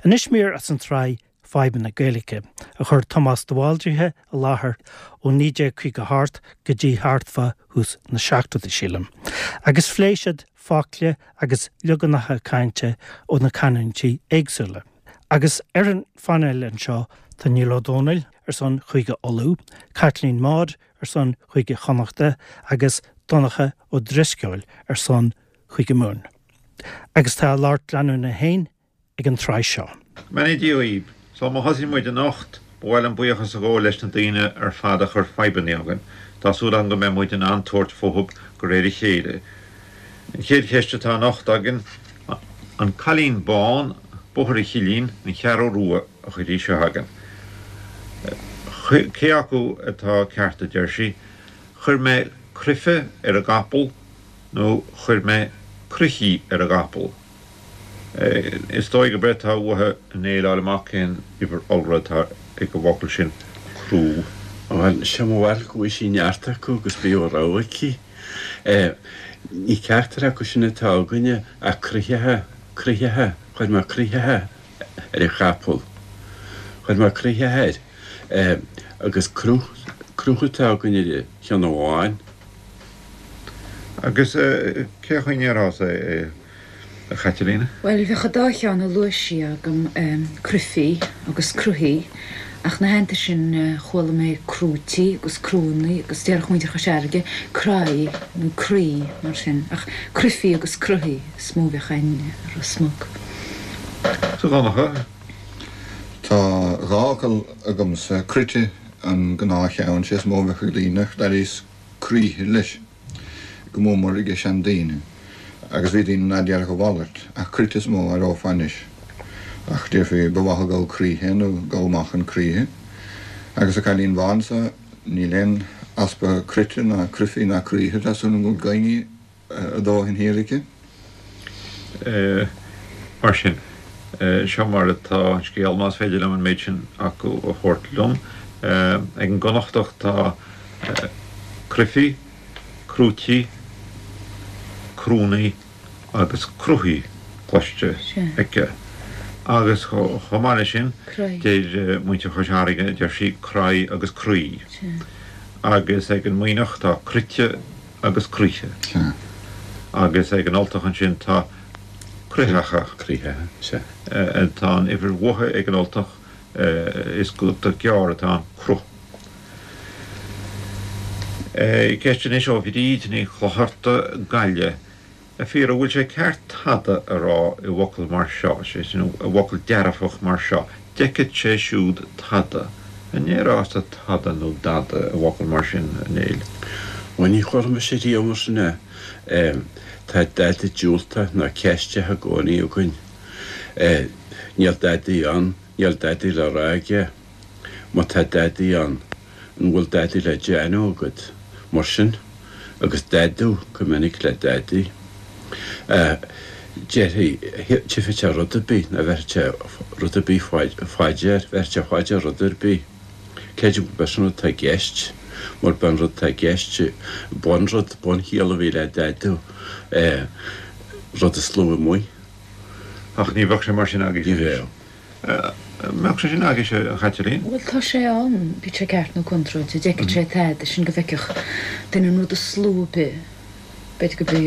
Anois mír as an tsraith Fadhbanna Gaeilge, a chuir Tomás de Bhaldraithe i láthair ó 1958 go dtí thart fá thús na seachtóidí, sílim, agus phléigh siad focla agus leaganacha cainte ó na canúintí éagsúla. Agus ar an phainéal anseo tá Niall Ó Dónaill ar son Chúige Uladh, Caitlín Maude ar son Chúige Chonnachta agus Donncha Ó Drisceoil ar son Chúige Mumhan. Agus tá a lucht leanúna féin ag an tsraith seo. Beannaí Dia dhaoib. Sul má thosaíonn muid anocht, ba mhaith liom buíochas a ghabháil leis na daoine ar fad a chuir fadhbanna chugainn. Tá súil agam go mbeidh muid in ann tabhairt fúthub de réir a chéile. An chéad cheist atá anocht againn, An Cailín Bán, Bóthar an Chillín, An Cheathrú Rua a chuir í seo chugainn. Cé acu atá ceart a deir sí, Chuir mé cruife ar an gcapall nó chuir mé cruichí ar an gcapall? Is dóigh gurb é atá uaithi a Néill fháil amach cén uimhir iolra atá ag an bhfocal sin crú. Bhuel, sé mo bharúil go bhfuil sí neart acu agus bíodh a rogha aici. Ní ceachtar acu sin atá againne ach cruitheacha, cruitheacha, chuir mé cruitheacha ar an chapall. Chuir mé cruitheacha air. Agus cruth, cruth atá againn ar an cheann amháin. Agus cé chaoi a ndéarfása é? A Chaitlín? Bhuel, bheadh an dá cheann a luaigh sí agam, cruifí agus cruthaí, ach 'na theannta sin chuala mé crúití agus crúannaí agus déarfadh muintir Chois Fharraige craí nó croí mar sin, ach cruifí agus cruthaí is mó a bheadh againn i Ros Muc. Agus a Dhonncha? Tá dhá fhocal agamsa, cruite an gnáthcheann, sé is mó a bheadh ag daoine ach d'airíos croíthe leis. go mór mór ag seandaoine, agus bhí daoine ná déarfadh a mhalairt, ach cruite is mó a aireofá anois. Ach déarfaí, ba mhaith a gabhadh croíthe nó gabhadh amach an croíthe. Agus a Cailín Bhán so, níl aon easpa cruite ná cruifí ná croíthe, tá súil agam go bhfuil gainne a dóthain thiar aici. Mar sin, seo mar atá an scéal, más féidir liom an méid sin acu a thabhairt liom. Ag an gConnachtach tá cruifí, crúití, crúnnaí agus cruthaí cloiste aici. Agus chomh maith leis sin, deir muintir Chois Fharraige, deir sí craí agus croí. Agus ag an Muimhneach tá cruite agus croíthe. Agus ag an Ultach ansin tá cruitheacha. Tá an uimhir uatha ag an Ultach, is guta gearr atá ann, cruth. Ceist anois ó Bhríd Ní Chlochartaigh, Gaillimh. A fhir, an bhfuil sé ceart tada a rá i bhfocal mar seo, sé sin, i bhfocal dearfach mar seo, d'fheicfeadh sé siúd tada. An ndéarfása tada nó dada i bhfocal mar sin, a Néill? Bhuel, ní chuala mise riamh mar sin é. Tá dada diúltach nó ceisteach i gcónaí againn. Níl dadaí ann, níl dadaí le rá aige. Má tá dadaí ann, an bhfuil dadaí le déanamh agat? Mar sin, agus dadú go minic le dadaí. Déarfaí, tchífidh sé rud ar bith, nó bhéarfaidh sé rud ar bith fá dear, bhéarfaidh sé fá dear rud ar bith. Creidim gurb é sin an rud atá i gceist, mar b'é an rud atá i gceist, bunrud, bunchiall a bhí le dadú, rud is lú amuigh. Ach ní bheadh sé mar sin agaibh. Ní bheadh. Mbeadh sé sin agaibhse, a Chaitlín? Bhuel, tá sé ann, bíodh sé ceart nó contráilte. D'fheicfeadh sé tada, sin go bhfeicfeadh duine an rud is lú ar bith. B'fhéidir go b'é,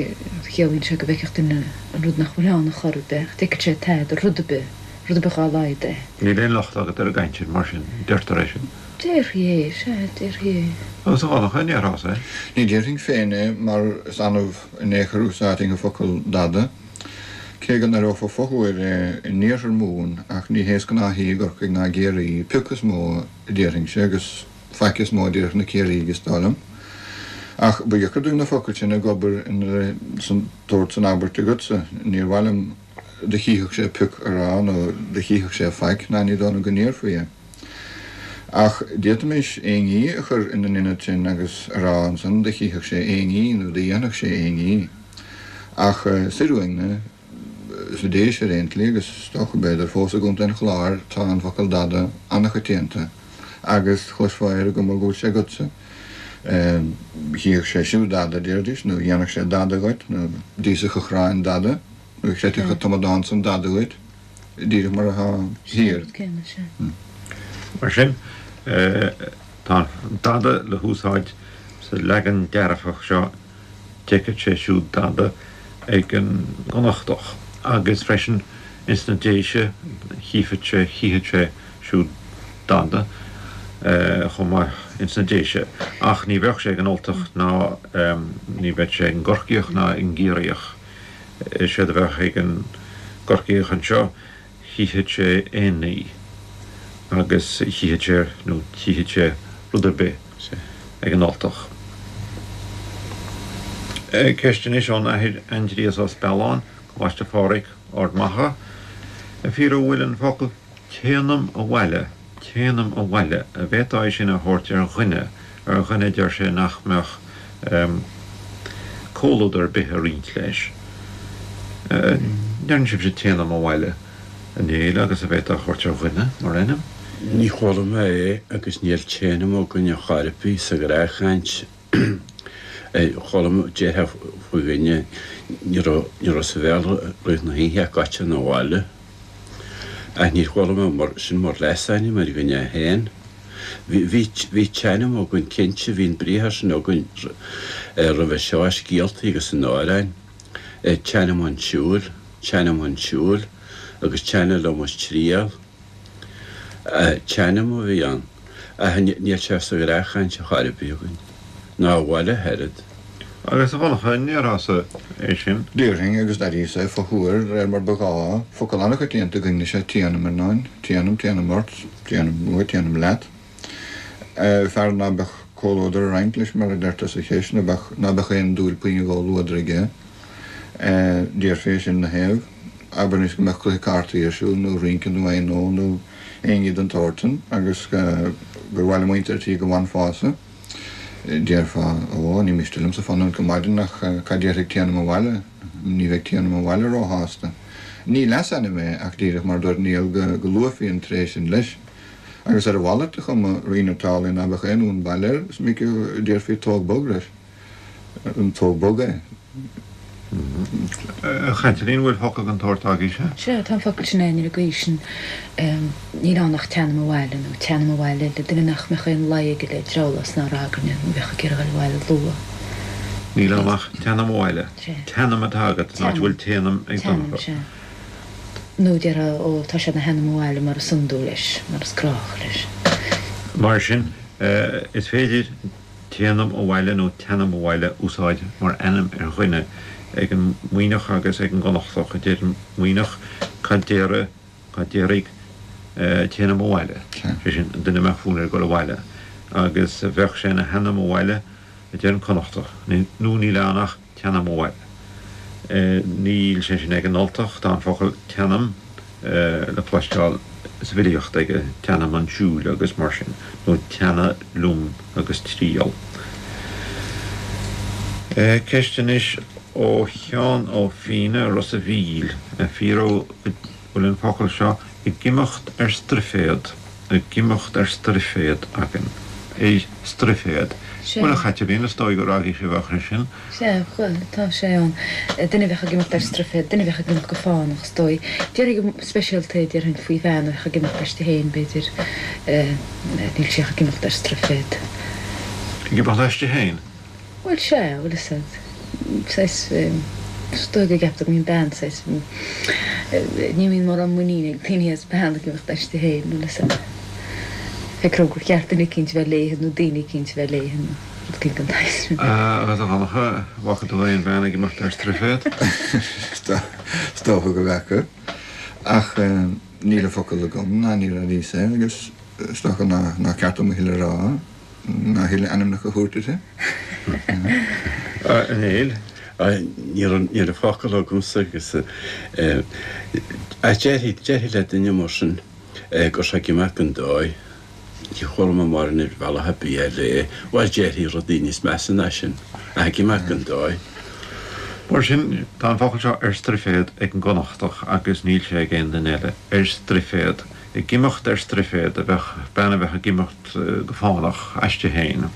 chiallaíonn sé go bhfeicfeadh duine an rud nach bhfuil ann a chor ar bith, ach d'fheicfeadh sé tada, rud ar bith, rud ar bith dhá laghad é. Níl aon locht agat ar an gcaint sin, mar sin, deirtear é sin. Déarfaí é, sea, déarfaí é. Agus a Dhonncha, an ndéarfása é? Ní déarfainn féin é, mar is annamh in aon chor a úsáidfinn an focal dada. Cé go n-aireofá fothuair é in iarthar Mumhan, ach ní hé is gnáthaí i gCorcaigh ná i gCiarraí, pioc is mó a déarfainnse, agus faic is mó a déarfadh na Ciarraígh is dóigh liom. Ach ba dheacair dúinn na focail sin ag obair ina tabhairt san abairt agatsa. Níor mhaith liom do chífeadh sé pioc a rá nó do chífeadh sé faic, ná ní dóigh liom go ndéarfaí é. Ach d'fhéadfaimis éinní a chur ina n-ionad sin agus a rá ansan do chífeadh sé éinní nó do dhéanfadh sé éinní. Ach soir uainne, sna Déise ar aon tslí, agus is dócha, b'fhéidir, fós i gContae an Chláir, tá an focal dada an-choitianta agus chloisfeá ar an gcuma go bhfuil sé agatsa. Chífeadh sé siúd dada, déarfaidís, nó dhéanfadh sé dada dhuit, nó d'íosfadh an chráin dada, nó chreidfeadh an t-amadán san dada dhuit. Díreach mar atá thiar. Mar sin, tá an dada le húsáid sa leagan dearfach seo, d'fheicfeadh sé siúd dada ag an gConnachtach, agus freisin ins na Déise, chífeadh sé, chífeadh sé siúd dada chomh maith ins na Déise. Ach ní bheadh sé ag an Ultach ná ní bheadh sé ag an gCorcaíoch ná ag an gCiarraíoch. Séard a bheadh ag an gCorcaíoch anseo, chífeadh sé aon ní agus chífeadh sé, nó tchífeadh sé rud ar bith ag an Ultach. Ceist anois ón Athair Aindrias Ó Spealáin, Coláiste Phádraig, Ard Mhacha. Fíor an bhfuil an focal Téanam abhaile, téanam abhaile, an bhféadfá é sin a thabhairt ar dhuine, ar dhuine a deir sé nach mbeadh comhluadar ar bith a roinnt leis. Deireann sibhse téanam abhaile, a Néill, agus an bhféadfá a thabhairt ar dhuine mar ainm? Ní chuala mé é agus níl téanam againn ar chor ar bith sa ghnáthchaint. Chuala mé déarfá faoi dhuine, ní raibh, ní raibh sa bhéal i rith na hoíche ach goitse 'na bhaile. Ach níor chuala mé mar, sin mar leasainm ar dhuine é féin. Bhí, bhí, bhí téanam againn cinnte, bhí an briathar sin againn roimhe seo i scéaltaí agus in amhráin. Téanam chun siúil, téanam chun siúil agus téanam liom is triall. Téanam a bhí ann, ach níl sé sa ghnáthchaint ar chor ar bith againn, ná abhaile ach oiread. Agus a Dhonncha, an ndéarfása é sin? Déarfainn, agus d'airíos é fothuar de réir mar ba ghá. Focal an-choitianta againn is ea téanam, ar ndóin. Téanam, téanam ort, téanam uait, téanam leat. Fear ná beadh comhluadar a roinnt leis, mar a deirtear sa cheist, ná beadh, ná beadh aon dúil puinn i gcomhluadar aige. Déarfaí é sin 'na thaobh. Abair anois go mbeadh cluiche cártaí ar siúl, nó rince nó aon gnó nó aon ní den tsórt san, agus gur mhaith le muintir an tí go bhfanfása. Déarfá, Ó, ní miste liomsa fanúint go maidin ach cad déarfaidh Téanam Abhaile? Ní bheidh Téanam Abhaile róshásta. Ní leasainm é ach díreach mar a dúirt Niall go luafaí an tréith sin leis. Agus ar a mhalairt de chuma, rian an tsamhlaidh ná beadh aon fhonn baile air, is minic a déarfaí tóg bog leis. An tóg bog é? A Chaitlín, bhfuil focal den tsórt agaibhse? Sea, tá an focal sin againn ar an gcaoi sin. Níl ann ach teanam abhaile, nó téanam abhaile le duine nach mbeadh aon luí aige le drabhlás ná ragairne, nó bheadh ag iarraidh dul abhaile luath. Níl ann ach teanam abhaile. Sea. Teanam atá agat, san áit a bhfuil téanam ag Donncha. Teanam, sea. Nó déarfá, ó, tá sé ina theanam abhaile mar is iondúil leis, mar is gnách leis. Mar sin, is féidir Téanam abhaile nó teanam abhaile a úsáid mar ainm ar dhuine ag an Muimhneach agus ag an gConnachtach. Deir an Muimhneach cad déarfaidh, cad déarfaidh téanam abhaile, sé sin, an duine a mbeadh fonn air dul abhaile, agus bheadh sé ina theanam abhaile a deir an Connachtach, nó níl ann ach Teanam abhaile. Níl sé sin ag an Ultach, tá an focal teanam le cloisteáil sa bhfilíocht aige, teanam 'un siúil agus mar sin, nó teannadh liom agus triall. Ceist anois ó Sheán Ó Fianna, Ros a' Mhíl, fíor an bhfuil an focal seo ag imeacht ar straiféad, ag imeacht ar straiféad againn, ar straiféad. Sea. Bhuel, a Chaitlín, is dóigh gur agaibhse a bheadh sé sin. Sea, bhuel, tá sé ann. Duine a bheadh ag imeacht ar straiféad, duine a bheadh ag imeacht go fánach, is dóigh. Déarfainn go speisialta é, déarfainn, faoi bhean a bheadh ag imeacht aisti féin, b'fhéidir. Níl sí ach ag imeacht ar straiféad. Ag imeacht aisti féin? Bhuel, sea, bhfuil fhios a'd, saghas, is dóigh go gceaptar go mbíonn bean saghas, ní bhíonn mórán muiníne ag daoine as bean ag imeacht aisti féin, bhfuil fhios a'd. Feictear gur cheart duine eicínt a bheith léithe nó daoine eicínt a bheith léithe nó rud eicínt den tsaghas sin. Agus a Dhonncha, bhfaca tú aon bhean ag imeacht ar straiféad? Is dócha go bhfaca, ach níl an focal agam ná níor airíos é agus is dócha nár cheart dom a thuilleadh a rá. Ná a thuilleadh ainmneacha a thabhairt uirthi. A Néill. Níl an focal agamsa agus ach déarfaí déarfaí le duine mar sin go raibh sé ag imeacht gan dóigh. Ní chuala mé mórán ar bhealach ar bith eile é. Bhuel déarfaí rudaí níos measa ná sin ach ag imeacht gan dóigh. Mar sin, tá an focal seo ar straiféad ag an gConnachtach agus níl sé ag aon duine eile. Ar straiféad. Ag imeacht ar straiféad a bheadh bean a bheadh ag imeacht go fánach aisti féin.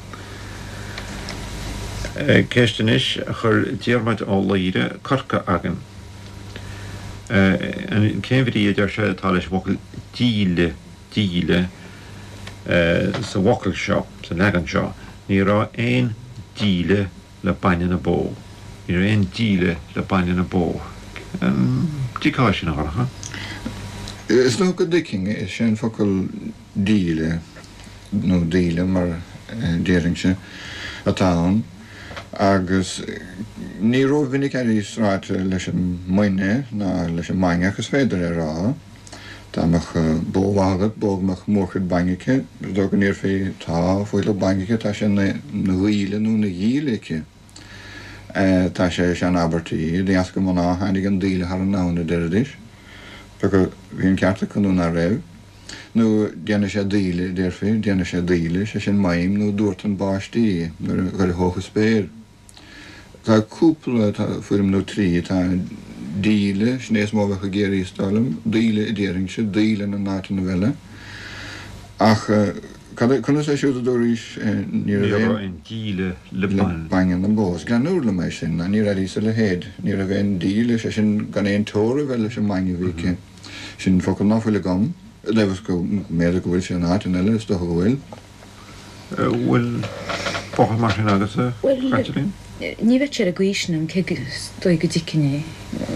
Ceist anois a chuir Diarmaid Ó Laoire, Corca, againn. Cén bhrí, a deir sé, atá leis an bhfocal díle, díle, sa bhfocal seo, sa leagan seo? Ní raibh aon díle le bainne na bó. Ní raibh aon díle le bainne na bó. An dtuigfeá sin, a Dhonncha? Is dócha go dtuigfinn. Is é an focal díle, nó daoile mar a déarfainnse, atá ann agus ní rómhinic a airíos ráite leis an mbainne ná leis an mbainne ach is féidir é a rá. Dá mbeadh bó mhaith agat, bó go mbeadh mórchuid bainne aici, is dócha go ndéarfaí tá fuílleach bainne aici, tá sé ina dhaoile nó ina dhíle aici. Tá sé i sean-abairtí, de dheasca mná tháinig an daoile thar an abhainn a deiridís. Pé acu bhí an ceart acu nó ná raibh. Nó déanfaidh sé daoile, a déarfaí, déanfaidh sé daoile, sé sin maidhm nó duartán báistí nuair a dh'éireodh an spéir. Tá cúpla, tá foirm nó trí, tá díle, sin é is mó a bheadh i gCiarraí is dóigh liom, daoile a déarfainnse, daoileann in áiteanna eile. Ach cad é, conas é siúd a dúraís, ní raibh aon. aon díle le bainne na bó. Is greannúr liom é sin, níor airíos a leithéid. Ní raibh aon díle, sé sin gan aon teora a bheith leis an mbainne a bhí aici. Sin focal ná fuil agam, i dtaobh is go mb'fhéidir go bhfuil sé in áiteanna eile, is dócha go bhfuil. Bhfuil focal mar sin agatsa, a Chaitlín? Bhuel, ní bheadh sé ar an gcaoi sin agam, cé go is dóigh go dtuigfinn é,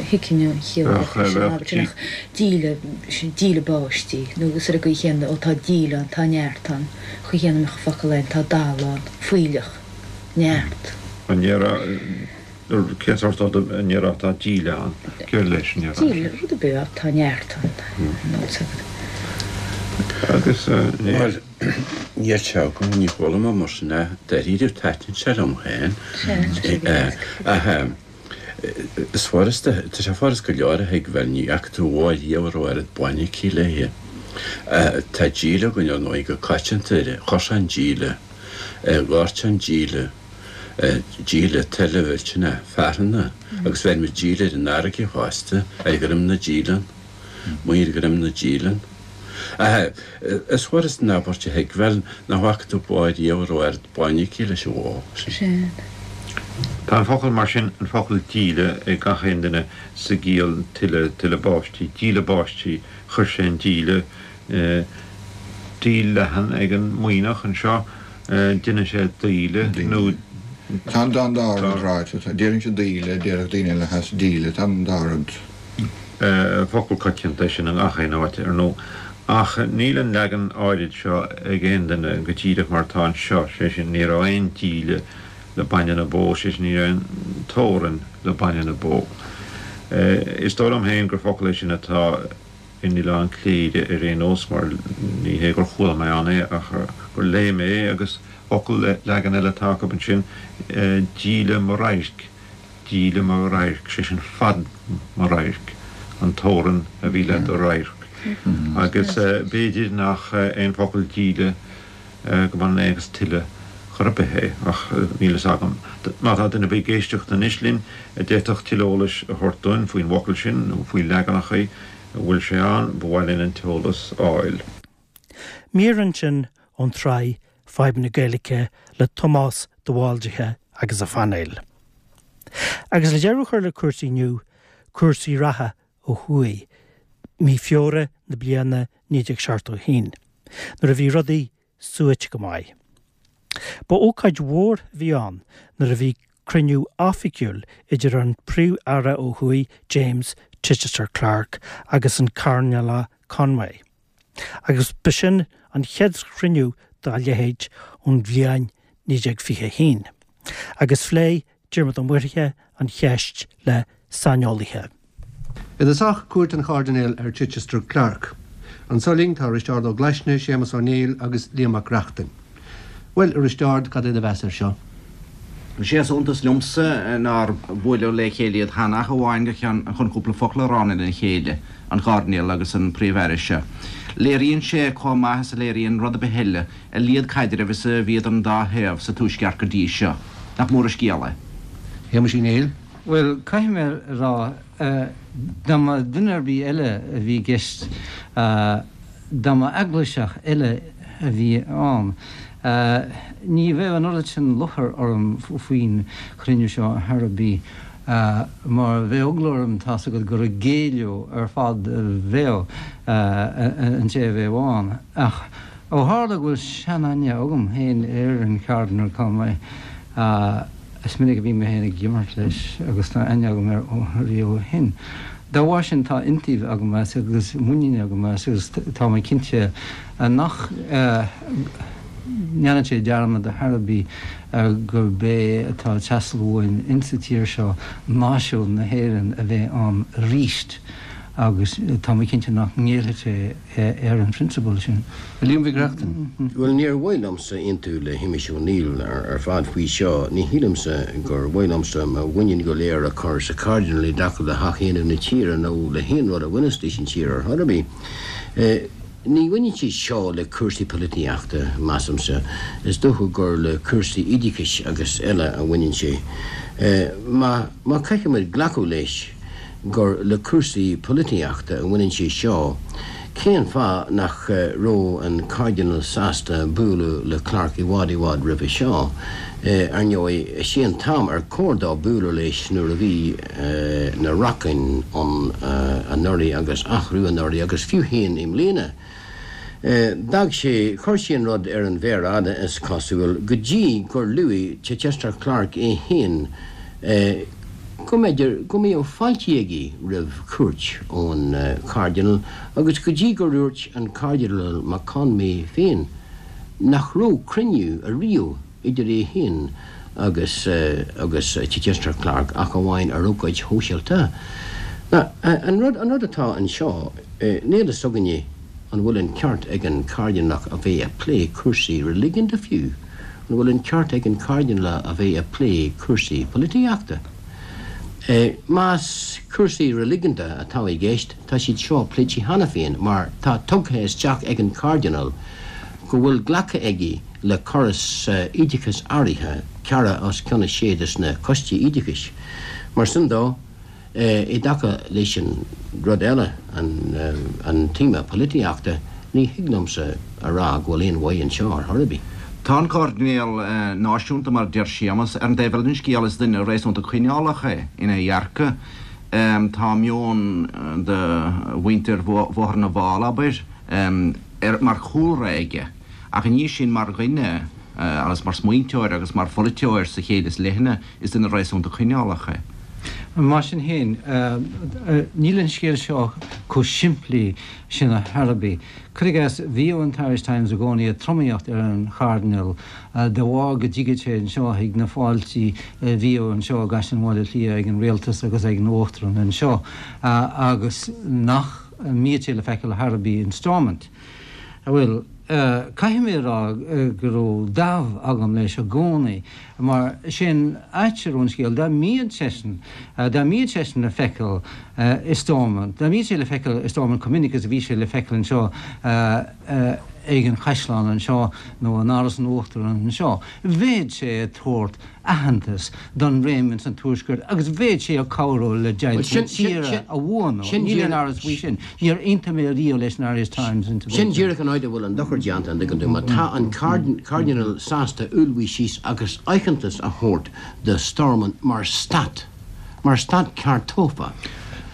thuigfinn an chiall a bheadh leis an abairt sin, ach díle, sin díle báistí, nó agus ar an gcaoi chéanna, ó tá díle ann, tá neart ann, an chaoi chéanna a mbeadh an focal ann, tá dal ann, fuílleach, neart. An ndéarfá, cén sórt rud a ndéarfá tá díle ann? Céard leis an ndéarfá sin? Díle, rud ar bith, tá neart ann, nó Agus ní. Bhuel, níl sé agam, ní chuala mé mar sin é. Dáiríre, taitníonn sé liom féin. Ach is furasta, tá sé furast go leor a thuigbheáil, ní fhaca tú bó riamh a raibh oiread bainne aici léi. Tá díle againn, ar ndóigh, go coitianta, chuir sé an díle, dhoirt sé an díle, díle tuile mhillteanach fearthanna, agus bheir muid díle ar an fharraige fosta, ar dhroim na díleann. Maor dhroim na díleann. Ach is furast an abairt a thuigbheáil nach bhfaca tú bó riamh a raibh oiread bainne aici leis an bhó sin. Tá an focal mar sin, an focal díle, ag gach aon duine sa gciall tuile, tuile báistí, díle báistí, chuir sé an díle, díl leathan ag an Muimhneach anseo, deineann sé daoile nó. Tá an dá rud ráite. Déarfainnse daoile, déarfadh daoine eile theas díle, tá an dá rud. Focal coitianta é sin i ngach aon áit, ar ndóigh, ach níl an leagan áirid seo ag aon duine go díreach mar atá anseo, sé sin, ní raibh aon díle le bainne na bó, sé sin, ní raibh aon teorainn le bainne na bó. Is dóigh liom féin gur focal é sin atá in Oileán Cléire ar aon nós, mar ní hé gur chuala mé ann é ach gur léigh mé é, agus focal, leagan eile atá acu ansin, díle mo radhairc. Díle mo radhairc, sé sin fad mo radhairc, an teorainn a bhí le do radharc. Agus b'fhéidir nach é an focal díle go mbaineann é agus tuile chor ar bith é, ach níl fhios agam. Má tá duine ar bith ag éisteacht anois linn a d'fhéadfadh tuilleadh eolais a thabhairt dúinn faoin bhfocal sin nó faoi leaganachaí a bhfuil sé ann, ba mhaith linn an t-eolas a fháil. Mír ansin ón tsraith Fadhb na Gaeilge le Tomás de Bhaldraithe agus a phainéal. Agus le deireadh a chur le cúrsaí inniu, cúrsaí reatha ó thuaidh, mí Feabhra na bliana 1971, nuair a bhí rudaí suaite go maith. Ba ócáid mhór a bhí ann nuair a bhí cruinniú oifigiúil idir an Príomh-Aire ó thuaidh James Chichester Clark agus an Cairdinéal Conway. Agus b'shin an chéad chruinniú dá leithéid ón bhliain 1921. Agus phléigh Diarmuid Ó Muirthile an cheist le saineolaithe. I dtosach, cuairt an Chairdinéil ar Chichester Clark. Anso linn tá Risteárd Ó Glaisne, Séamus Ó Néill agus Liam Mac Reachtain. Bhuel, a Risteáird, cad é do mheas air seo? Is é is iontas liomsa nár buaileadh le chéile iad cheana ach amháin go ceann chun cúpla focal a rá lena chéile, an Cairdinéal agus an Príomh-Aire seo. Léiríonn sé chomh maith is a léiríonn rud ar bith eile a laghad caidrimh is a bhí idir an dá thaobh sa Tuaisceart go dtí seo. Nach mór an scéal é? Shéamuis Uí Néill. Bhuel, caithfidh mé a rá, dá mba duine ar bith eile a bhí i gceist, dá mba eaglaiseach eile a bhí ann, ní bheadh an oiread sin lúcháir orm faoin chruinniú seo ar chor ar bith. Mar bheadh eagla orm, tá's agat, gur ag géilleadh ar fad a bheadh an té a bheadh ann. Ach ó tharla go bhfuil seanaithne agam féin ar an Chairdinéal Conway, is minic a bhí mé féin ag imirt leis agus tá aithne agam air ó riamh ó shin. Dá bharr sin tá iontaoibh agam as agus muinín agam as agus tá mé cinnte nach ndéanfaidh sé dearmad ar chor ar bith gurb é atá ag teastáil uainn insa tír seo náisiún na hÉireann a bheith ann aríst agus tá mé cinnte nach ngéillfidh sé ar an phrionsabal sin. A Liam Mhic Reachtain. Bhuel, níor mhaith liomsa aontú le Shéamus Ó Néill ar fad faoi seo. Ní shílimse gur mhaith liomsa mo mhuinín go léir a chur sa Chairdinéal i dtaca le hathaontú na tíre nó le haon rud a bhaineas leis an tír ar chor ar bith. Ní bhaineann sé seo le cúrsaí polaitíochta, measaimse. Is dócha gur le cúrsaí oideachais agus eile a bhaineann sé. Má má caithfimid glacadh leis gur le cúrsaí polaitíochta a bhaineann sé seo, cén fáth nach raibh an Cairdinéal sásta bualadh le Clarke i bhfad i bhfad roimhe seo? Ar ndóigh, is é an t-am ar chóir dó bualadh leis nuair a bhí na racáin ann anuraidh agus athrú anuraidh agus fiú féin i mbliana. D'fhág sé, chuir sé an rud ar an mhéar fhada, is cosúil, go dtí gur luaigh Chichester Clarke é féin go mb'fhéidir go mbeadh fáilte aige roimh chuairt ón Chairdinéal agus go dtí gur dhúirt an Cairdinéal Mac Conmidhe féin nach raibh cruinniú ariamh idir é féin agus agus Chichester Clarke ach amháin ar ócáid shóisialta. Now, an rud, an rud atá anseo, níl fhios againne an bhfuil an ceart ag an Chairdinéalach a bheith ag plé cúrsaí reiligiúnda fiú, an bhfuil an ceart ag an Chairdinéalach a bheith ag plé cúrsaí polaitíochta. Más cúrsaí reiligiúnda atá i gceist, tá siad seo pléite cheana féin mar tá tugtha isteach ag an Chairdinéal go bhfuil glactha aige le córas oideachais áirithe, ceathracha os cionn a sé des na coistí oideachais. Mar sin dó, i dtaca leis an rud eile, an téama polaitíochta, ní thig liomsa a rá go bhfuil aon mhaith anseo ar chor ar bith. Tá an Cairdinéal náisiúnta, mar a deir Séamas. Ar an dtaobh eile den scéal, is duine réasúnta coinneálach é ina dhearcadh. Tá meon de mhuintir Bhóthar na bhFál, abair, mar chúlra aige. Ach i ndiaidh sin, mar dhuine, agus mar smaointeoir agus mar pholaiteoir sa chéill is leithne, is duine réasúnta coinneálach é. Mar sin féin, níl an scéal seo chomh simplí sin ar chor ar bith. Cuir i gcás, bhíodh an Irish Times i gcónaí ag tromaíocht ar an Chairdinéal de bharr go dtigeadh sé anseo chuig na fáiltí a bhíodh anseo i gCaisleán Bhaile Átha Cliath ag an Rialtas agus ag an Uachtarán anseo agus nach mbíodh sé le feiceáil ar chor ar bith in Stormont. Bhuel, caithfidh mé a rá go raibh dáimh agam leis i gcónaí, mar is é an áit a raibh an scéal, dá mbíodh seisean, dá mbíodh seisean le feiceáil i Stormont, dá mbíodh sé le feiceáil i Stormont chomh minic is a bhí sé le feiceáil anseo ag an Chaisleán anseo nó in Áras an Uachtaráin anseo, bheadh sé ag tabhairt aitheantas don réim ins an Tuaisceart agus bheadh sé ag cabhrú le deighilt na tíre a bhuanú. Níl aon amhras faoi sin. Níor aontaigh mé riamh leis an Irish Times in Sin díreach an áit a bhfuil an dochar déanta, an dtuigeann tú. Má tá an Cairdinéal sásta ullmhú síos agus aitheantas a thabhairt do Stormont mar stát, mar stát ceart tofa,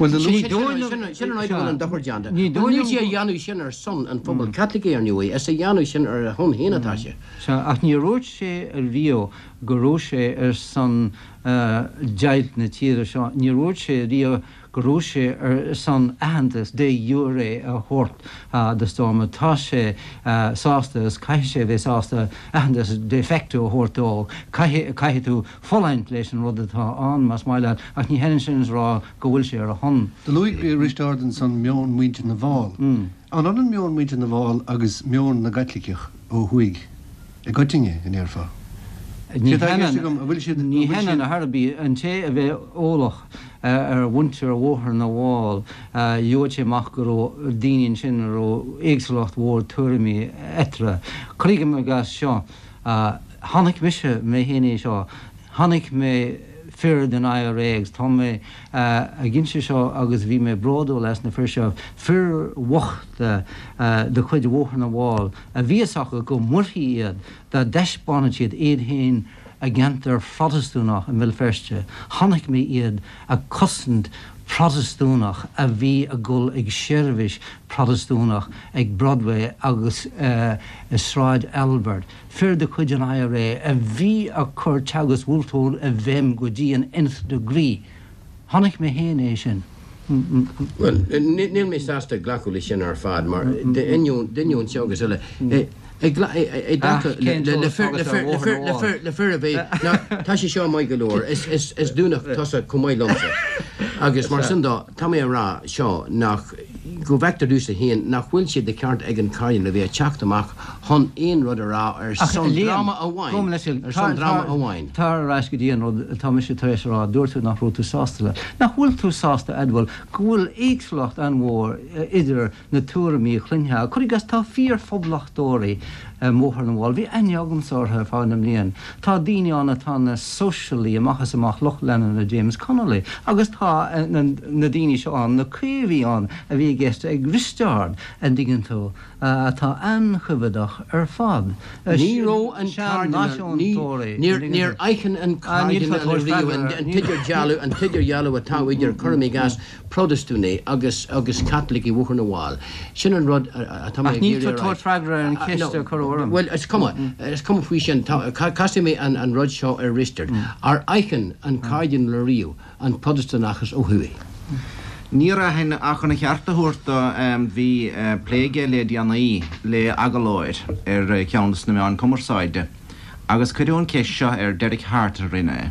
sin an áit a bhfuil an dochar déanta. Níl sé a dhéanamh sin ar son an phobail Chaitlicigh, ar ndóigh, is a dhéanamh sin ar a shon féin atá sé. Sea, ach níor dhúirt sé riamh go raibh sé ar son deighilt na tíre seo. Níor dhúirt sé riamh go raibh sé ar son aitheantas de jure a thabhairt do Stormont. Tá sé sásta, agus caithfidh sé a bheith sásta, aitheantas de facto a thabhairt dó. Caithfidh, caithfidh tú fulaingt leis an rud atá ann, más maith leat, ach ní hionann sin is a rá go bhfuil sé ar a shon. Do luaigh Risteárd ansan meon muintir na bhFál. An ionann meon muintir na bhFál agus meon na gCaitliceach ó thuaidh i gcoitinne, a ndéarfá? Ní hionann ar chor ar bith. An té a bheadh eolach ar mhuintir Bhóthar na bhFál, gheobhadh sé amach go raibh daoine ansin a raibh éagsúlacht mhór tuairimí eatarthu. Cuirim i gcás seo, chonaic mise mé féin é seo, chonaic mé fir den IRA agus tá mé ag inse seo agus bhí mé bródúil as na fir seo, fir bhochta de chuid Bhóthar na bhFál a bhí fhios acu go muirfí iad dá dtaispeánfadh siad iad féin. i gceantar Phrotastúnach i mBéal Feirste, chonaic mé iad ag cosaint Protastúnach a bhí ag dul ag seirbhís Protastúnach ag Broadway agus i Sráid Albert, fir de chuid an IRA a bhí ag cur teagasc Wolfe Tone i bhfeidhm go dtí an nth degree. Chonaic mé féin é sin. Bhuel, níl mé sásta glacadh leis sin ar fad, mar d'ainneoin seo agus eile, i dtaca le fir a bheith, ná, tá sé seo maith go leor, is Dúnach tusa chomh maith liomsa, agus mar sin dó, tá mé a rá seo nach, go bhfeictear domhsa féin nach bhfuil sé de cheart ag an Chairdinéal a bheith ag teacht amach chun aon rud a rá ar son dreama amháin, ar son dreama amháin. Tar ar ais go dtí an rud atá mise tar éis a rá, dúirt tú nach raibh tú sásta le. Nach bhfuil tú sásta a admháil go bhfuil éagsúlacht an-mhór idir na tuairimí a chluinfeá? Cuir i gcás, tá fíor-phoblachtóirí i mBóthar na bhFál, bhí aithne agamsa orthu ar feadh na mblian. Tá daoine ann atá ina sóisialaí amach is amach, lucht leanúna James Connolly, agus tá na daoine seo ann, na caomhaigh ann a bhí i gceist ag Risteárd, an dtuigeann tú. atá an-choimheadach ar fad. Ní raibh an Cairdinéal, níor aithin an Cairdinéal riamh an t-idirdhealú, an t-idirdhealú atá idir, cuirim i gcás, Protastúnaigh agus agus Caitlicigh i mBóthar na bhFál. Sin an rud atá mé ag iarraidh a rá. Ach níl tú ag tabhairt freagra ar an cheist a cuireadh orm. Bhuel, is cuma, is cuma faoi sin. Casfaidh mé an rud seo ar Risteard. Ar aithin an Cairdinéal riamh an Protastúnachas ó thuaidh. Níor aithin ach chun a cheart a thabhairt dó bhí plé aige le déanaí le agallóir ar cheann de na meáin cumarsáide agus cuireadh an ceist seo air, Derek Harte a rinne é,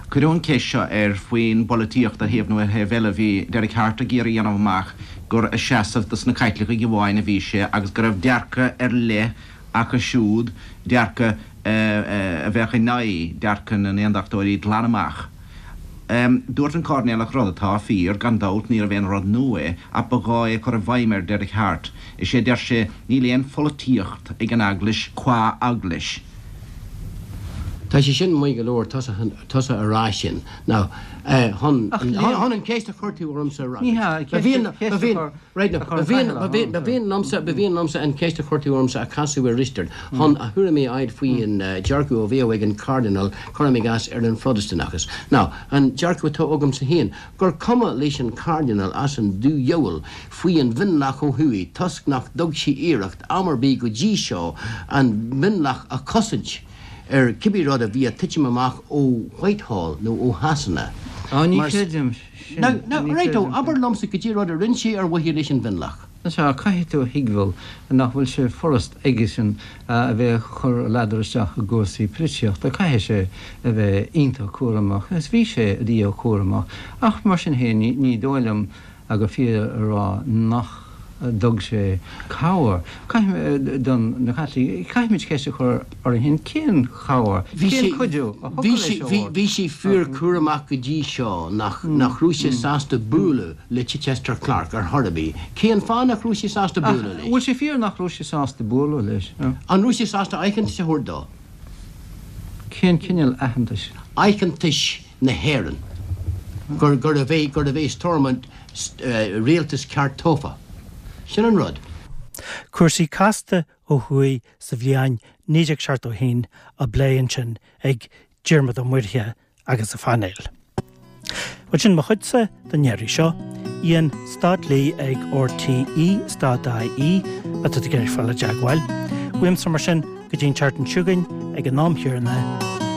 cuireadh an ceist seo air faoin bpolaitíocht ar thaobh nó ar thaobh eile. Bhí Derek Harte ag iarraidh a dhéanamh amach gur ag seasamh dos na Caitlicigh amháin a bhí sé agus go raibh dearcadh ar leith acu siúd, dearcadh a bheadh in aghaidh dearcadh na nAondachtóirí glan amach. Dúirt an Cairdinéalach rud atá fíor, gan dabht, níorbh aon rud nua é, ach ba ghá é a chur i bhfeidhm ar Derek Harte. Is é a deir sé, níl aon pholaitíocht ag an Eaglais qua Eaglais. Tá sé sin maith go leor, tusa a rá sin. Now, chun an cheist a chuir tú ormsa a fhreagairt. Ba mhian, ba mhian, Right now, ba mhian, ba mhian, ba mhian liomsa, ba mhian liomsa an cheist a chuir tú ormsa a chasadh ar Risteard chun a thuairimí a fháil faoin dearcadh a bheadh ag an Chairdinéal, cuirim i gcás, ar an Phrotastúnachas. Now, an dearcadh atá agamsa féin, gur cuma leis an Chairdinéal as an dúdhiabhal faoi an mhionlach ó thuaidh toisc nach dtug sé iarracht am ar bith go dtí seo an mionlach a chosaint ar cibé rud a bhí ag titim amach ó Whitehall nó ó Shasana. Á, ní chreidim sin. Now, now, right o, abair liomsa goidé rud a rinne sé ar mhaithe leis an mhionlach. Sea, caithfidh tú a thuigbheáil nach bhfuil sé furast aigesean a bheith ag cur a ladar isteach i gcúrsaí poilitíochta. Caithfidh sé a bheith iontach cúramach, agus bhí sé ríchúramach. Ach mar sin féin, ní dóigh liom gur fíor a rá nach dtug sé cabhair. Caithfidh, don na Caitlicigh, caithfimid ceist a chur orainn féin, cén chabhair, cén cuidiú a thiocfadh leis a thabhairt? Bhí sé fíor cúramach go dtí seo nach nach raibh sé sásta bualadh le Chichester Clark ar chor ar bith. Cén fáth nach raibh sé sásta bualadh leis? Bhfuil sé fíor nach raibh sé sásta bualadh leis? An raibh sé sásta aitheantas a thabhairt dó? Cén cineál aitheantais? Aitheantais na hÉireann gur gurbh é gurbh é Stormont rialtas ceart tofa. Sin an rud. Cúrsaí casta ó thuaidh sa bhliain 1971 á bplé ansin ag Diarmaid Ó Muirthile agus a phainéal. Bhuel sin mo chuidse don iarraidh seo. Ian stad Lee ag RTÉ stad IE má tá tú ag iarraidh fáil i dteagmháil. Uaimse mar sin go dtí an tseachtain seo chugainn ag an am chéanna,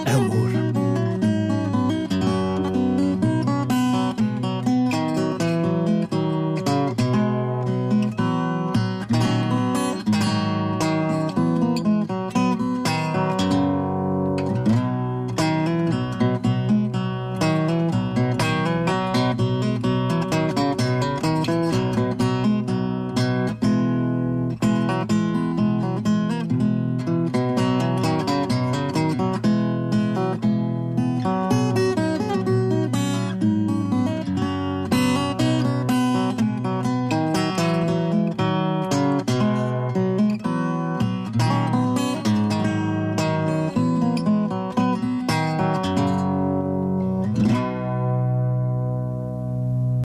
ádh mór.